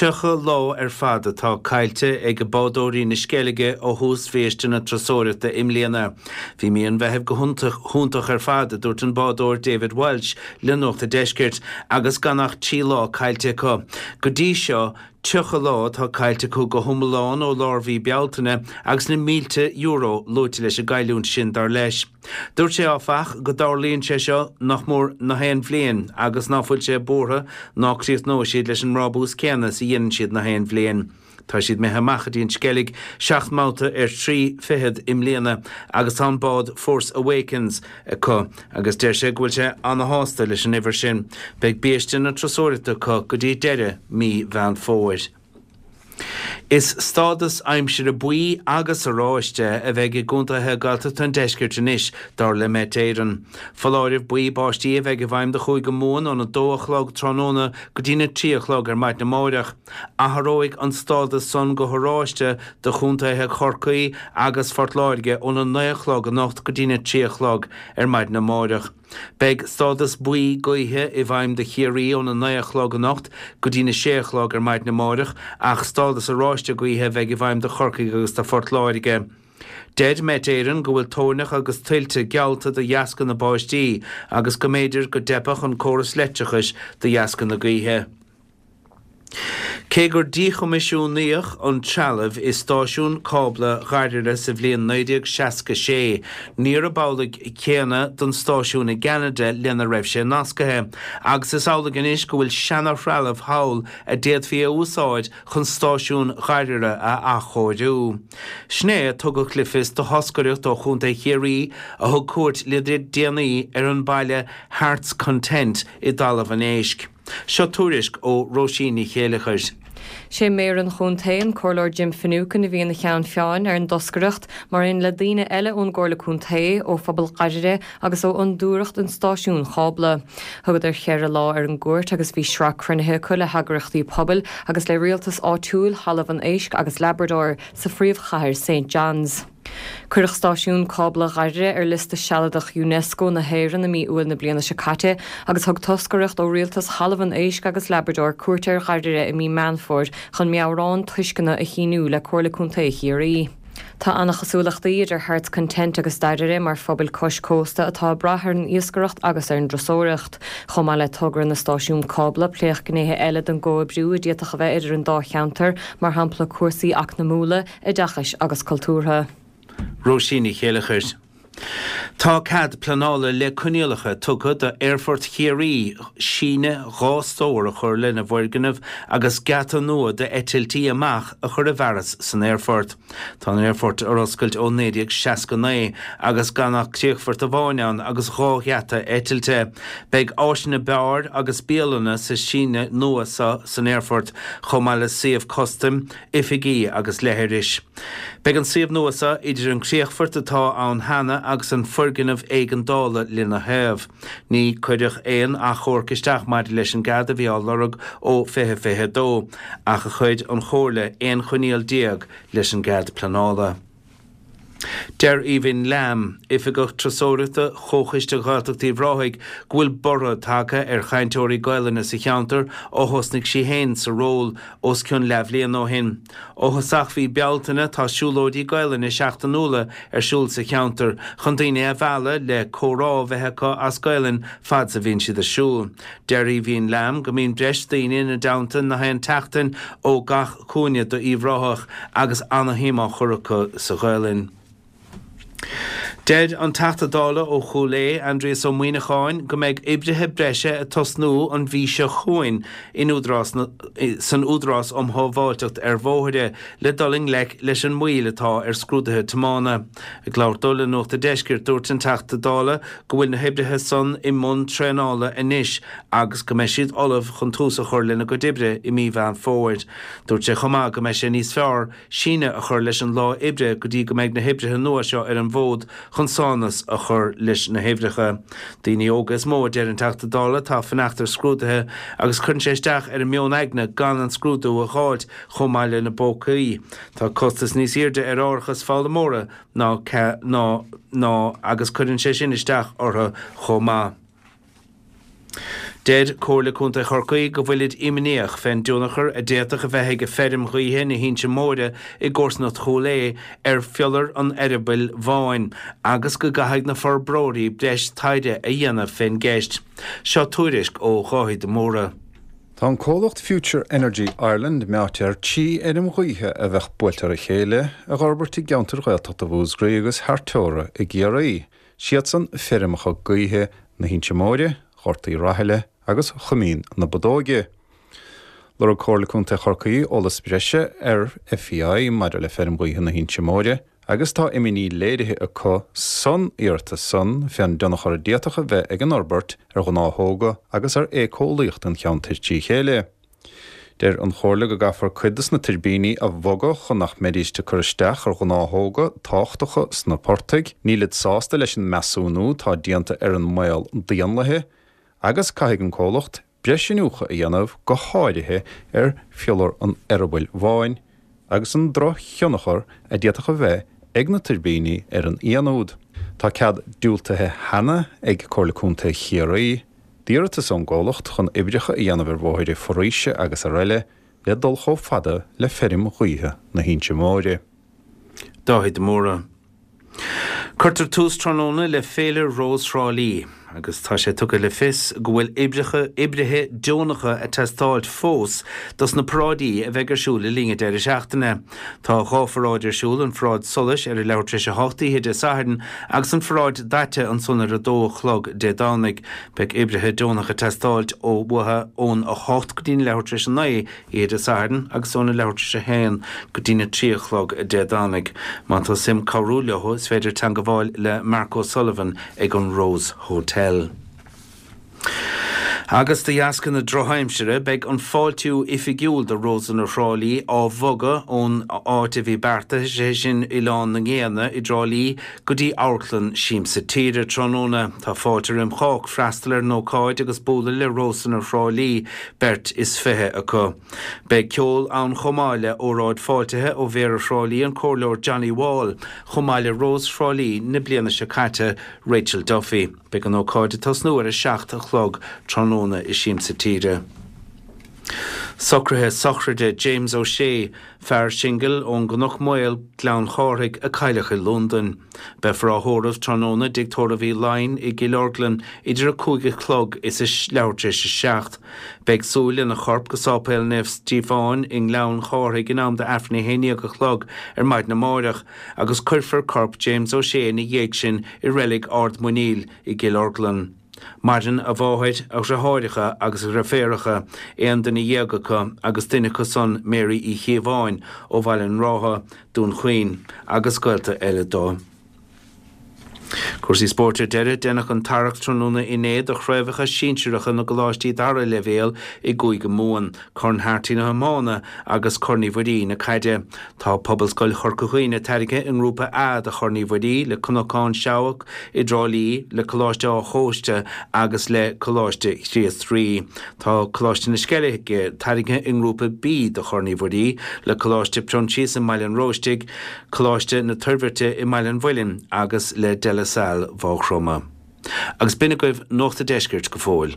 30 lá ar fad atá caillte ag bádóirí na Sceilge ó thús bhiaiste na turasóireachta i mbliana. Bhí mí an Mheithimh go hiontach ar fad, a dúirt an bádóir David Walsh le Nuacht a' Deiscirt, agus gan ach 3 lá caillte acu. Go dtí seo, 30 lá atá caillte acu go hiomlán ó lár mhí Bealtaine agus na mílte euro luaite leis an gcailliúint sin, dar leis. Dúirt sé, áfach, go dtarlaíonn sé seo nach mór na haon bhliain agus ná fuil sé buartha ná críochnóidh siad leis an mbrabús céanna is a dhéanann siad na haon bhliain. Tá siad imithe amach go dtí an Sceilg seacht mbabhta ar thrí fichead i mbliana agus tá an bád Force Awakens acu agus deir sé go bhfuil sé ana-shásta leis an uimhir sin. Beidh biaiste na turasóireachta acu go dtí deireadh mí Mheán Fómhair. Is stádas aimsire buí agus oráiste a bheidh i gcontaetha Gaeltachta an deiscirt anois, dar le Met Éireann. Foláireamh buí báistí a bheidh i bhfeidhm do Chúige Mumhan óna dó a chlog tráthnóna go dtína 3 a chlog ar maidin amáireach. Athróidh an stádas san go horáiste do chontaetha Chorcaí agus Phort Láirge óna 9 a chlog anocht go dtína 3 a chlog ar maidin amáireach. Beidh stádas buí gaoithe i bhfeidhm do Chiarraí óna 9 a chlog anocht go dtína 6 a chlog ar maidin amáireach ach stádas oráiste gaoithe a bheidh i bhfeidhm do Chorcaigh agus do Phort Láirge. Deir Met Éireann go bhfuil toirneach agus tuilte geallta de dheasca na báistí agus go mb'fhéidir go dteipfeadh an córas leictreachais de dheasca na gaoithe. Cé gur díchoimisiúnaíodh an trealamh i stáisiún cábla Dhoire sa bhliain 1966, níorb amhlaidh céanna don stáisiún i gCeanada lena raibh sé nascaithe, agus is amhlaidh anois go bhfuil seana-threalamh thall a d'fhéadfaí a úsáid chun stáisiún Dhoire a athchóiriú. Sin é a tugadh le fios do thoscaireacht ó Chontae Chiarraí a thug cuairt le déanaí ar an bhaile Heart's Content i dTalamh an Éisc. Seo tuairisc ó Róisín Ní Chéileachair. Sé Méara an Chontae, an Comhairleoir Jim Finucane a bhí ina cheann feadhain ar an dtoscaireacht, mar aon le daoine eile ón gComhairle Contae, ó phobal Dhoire agus ó Fhondúireacht an Stáisiúin Chábla. Thugadar cheithre lá ar an gcuairt agus bhí sraith cruinnithe acu le heagraíochtaí pobail agus le rialtas áitiúil Thalamh an Éisc agus Labrador sa phríomhchathair Saint John's. Cuireadh Stáisiún Cábla Dhoire ar liosta sealadach Unesco na hÉireann i mí Iúil na bliana seo caite agus thug toscaireacht ó rialtas Thalamh an Éisc agus Labrador cuairt ar Dhoire i mí Meán Fómhair chun meabhrán tuisceana a shíniú le Comhairle Contae Chiarraí. Tá an-chosúlachtaí idir Heart's Content agus Doire mar phobail cois cósta atá ag brath ar an iascaireacht agus ar an dturasóireacht. Chomh maith le togra na stáisiún cábla, pléadh gnéithe eile den gcomhoibriú a d'fhéadfadh a bheith idir an dá cheantar, mar shampla cúrsaí eacnamúla, oideachais agus cultúrtha. Róisín Ní Chéileachair. Tá cead pleanála le coinníollacha tugtha d'Aerfort Chiarraí síneadh 2 stór a chur lena bhfoirgneamh agus geata nua d'eitiltí amach a chur i bhfearas san aerfort. Tá an aerfort ar oscailt ó 1969 agus gan ach críochfort amháin ann agus 2 gheata eitilte. Beidh áiseanna beáir agus bialanna sa síneadh nua seo san aerfort chomh maith le suíomh custaim, oifigí agus leithris. Beidh an suíomh nua seo idir an críochfort atá ann cheana agus an foirgneamh éigeandála lena thaobh. Ní cuireadh aon achomharc isteach maidir leis an gcead a bhí á lorg ó 2022 ach chuir an Chomhairle 11 choinníoll leis an gcead pleanála. Deir Aoibhinn Lamb, Oifigeach Turasóireachta Chomhchoiste Ghaeltacht Uíbh Ráthaigh, go bhfuil borradh tagtha ar chainteoirí Gaelainne sa cheantar ó thosnaigh sí féin sa ról os cionn leathbhliain ó shin. Ó thosach mhí Bealtaine tá siúlóidí Gaelainne seachtainiúla ar siúl sa cheantar chun daoine a mhealladh le comhrá a bheith acu as Gaelainn fad 's a bhíonn siad ag siúl. Deir Aoibhinn Lamb go mbíonn breis daoine ina dteannta na haon tseachtain ó gach cúinne d'Uíbh Ráthach agus ana-shuim á chur acu sa Ghaelainn. Deir an Teachta Dála ó Chúil Aodha, Aindrias Ó Muíneacháin, go mbeidh oibrithe breise ag tosnú an mhí seo chugainn in Údarás san Údarás um Shábháilteacht ar Bhóithre le dul i ngleic leis an moill atá ar scrúduithe tiomána. Ag labhairt dó le Nuacht a' Deiscirt, dúirt an Teachta Dála go bhfuil na hoibrithe san i mbun traenála anois agus go mbeidh siad ullamh chun tús a chur lena gcuid oibre i mí Mheán Fómhair. Dúirt sé chomh maith go mbeidh sé níos fearr síneadh a chur leis an lá oibre go dtí go mbeidh na hoibrithe nua seo ar an bhfód chun sánas a chur leis na huimhreacha. Daoine óga is mó, a deir an Teachta Dála, atá ag fanacht ar scrúduithe agus cuireann sé isteach ar a meon aigne gan an scrúdú a dh'fháilt chomh maith lena bpócaí. Tá costas níos airde ar árachas foghlaimeora ná ná ná agus cuireann sé sin isteach orthu chomh maith. Deir Comhairle Contae Chorcaí go bhfuilid imníoch fén dtionchar a d'fhéadfadh a bheith ag feirm ghaoithe na hInse Móire i gcomharsanacht Chúil Aodha ar phiolar an Eireabaill Bháin agus go gcaithfidh na forbróirí breis taighde a dhéanamh fén gceist. Seo tuairisc ó Dháithí de Mórdha. Tá an comhlacht Future Energy Ireland meáite ar thrí fheirm ghaoithe a bheadh buailte ar a chéile a dh'fhorbairt i gceantair Ghaeltachta Mhúscraí agus thar teora i gCiarraí. Siadsan feirmeacha gaoithe na hInse Móire, Ghort Uí Rathaille agus Choimín na Bodóige. Lorg Comhairle Contae Chorcaí eolas breise ar FEI maidir le feirm ghaoithe na hInse Móire agus tá imní léirithe acu san iarratas san fén dtionchar a d'fhéadfadh a bheith ag an fhorbairt ar ghnáthóga agus ar éiceolaíocht an cheantair trí chéile. Deir an Chomhairle go gcaithfear cuid de na tuirbíní a bhogadh chun nach mbeidíst ag cur isteach ar ghnáthóga tábhachtacha sna portaigh. Nílid sásta leis an measúnú atá déanta ar an mbaol d'éanlaithe agus caithfidh an comhlacht breis iniúchadh a dhéanamh go háirithe ar phiolar an Eireabaill Bháin agus an drochthionchar a d'fhéadfadh a bheith ag na tuirbíní ar an fhianúd. Tá cead diúltaithe cheana ag Comhairle Contae Chiarraí. D'iarratas ón gcomhlacht chun oibreacha a dhéanamh ar bhóithre foraoise agus araile le dul chomh fada le feirm ghaoithe na hInse Móire. Dáithí de Mórdha. Cuirtear tús tráthnóna le Féile Rós Thrá Lí agus tá sé tugtha le fios go bhfuil oibreacha, oibrithe deonacha ag teastáilt fós dos na paráidí a bheidh ar siúl le linn an deireadh seachtaine. Tá 2 pharáid ar siúl, an pharáid solais ar a leathuair tar éis a hocht oíche Dé Sathairn agus an pharáid daite ansan ar a dó a chlog Dé Domhnaigh. Beidh oibrithe deonacha ag teastáilt ó uathu ón 8 go dtí'n leathuair tar éis a 9 oíche Dé Sathairn agus óna leathuair tar éis a haon go dtí'n 3 a chlog Dé Domhnaigh. Má tá suim cabhrú leo is féidir teangabháil le Mark O'Sullivan ag an Rose Hotel. Agus de dheasca na drochaimsire, beidh an fáiltiú oifigiúil do Rósanna Thrá Lí á bhogadh ón áit a bhí beartaithe, sé sin Oileán na nGéanna i dTrá Lí, go dtí Amharclann Siamsa Tíre tráthnóna. Tá fáilte roim chách freastal ar an ócáid agus bualadh le Rósanna Thrá Lí, beirt is 20 acu. Beidh ceol ann chomh maith le óráid fáiltithe ó Mhéara Thrá Lí, an Comhairleoir Johnny Wall, chomh maith le Rós Thrá Lí na bliana seo caite, Rachel Duffy. Beidh an ócáid ag tosnú ar a 7 a chlog tráthnóna i Siamsa Tíre. Socruithe sochraide James O'Shea, fear singil ón gCnoc Maol, Gleann Chárthaigh, a cailleadh i Londain. Beifear á thórramh tráthnóna i dTigh Tórraimh Uí Laighin i gCill Orglan idir a 5 a chlog is a leathuair tar éis a 7. Beidh súil lena chorp go Sáipéal Naomh Stíofáin i nGleann Chárthaigh in am d'Aifreann a 11 a chlog ar maidin amáireach. agus cuirfear corp James O'Shea ina dhiaidh sin i reilig Ard Muiníl i gCill Orglan. Maireann a mháthair, a dhriotháireacha agus a dhreiféaracha, 11 duine acu agus duine acu san Mary Uí Chíobháin ó Bhaile an Rátha, Dún Chaoin, agus gaolta eile dó. Cúrsaí spóirt ar deireadh, Deineadh an tarrac tráthnóna inné do chraobhacha sinsearacha na gcoláistí dara leibhéal i gCúige Mumhan, Corn Harty na hiomána agus Corn Uí Mhuirí na caide. Tá Pobalscoil Chorca Dhuibhne tarraingthe i nGrúpa A de Chorn Uí Mhuirí le Cnocán Seabhac i dTrá Lí, le Coláiste Áth Chóiste agus le Coláiste Chríost Rí. Tá Coláiste na Sceilge tarraingthe i nGrúpa B de Chorn Uí Mhuirí le Coláiste Proinsias i mBaile an Róistigh, Coláiste na Toirbhirte i mBaile an Mhuilinn agus le De La Salle Mhaigh Chromtha. Agus b'in agaibh Nuacht a' Deiscirt go fóill.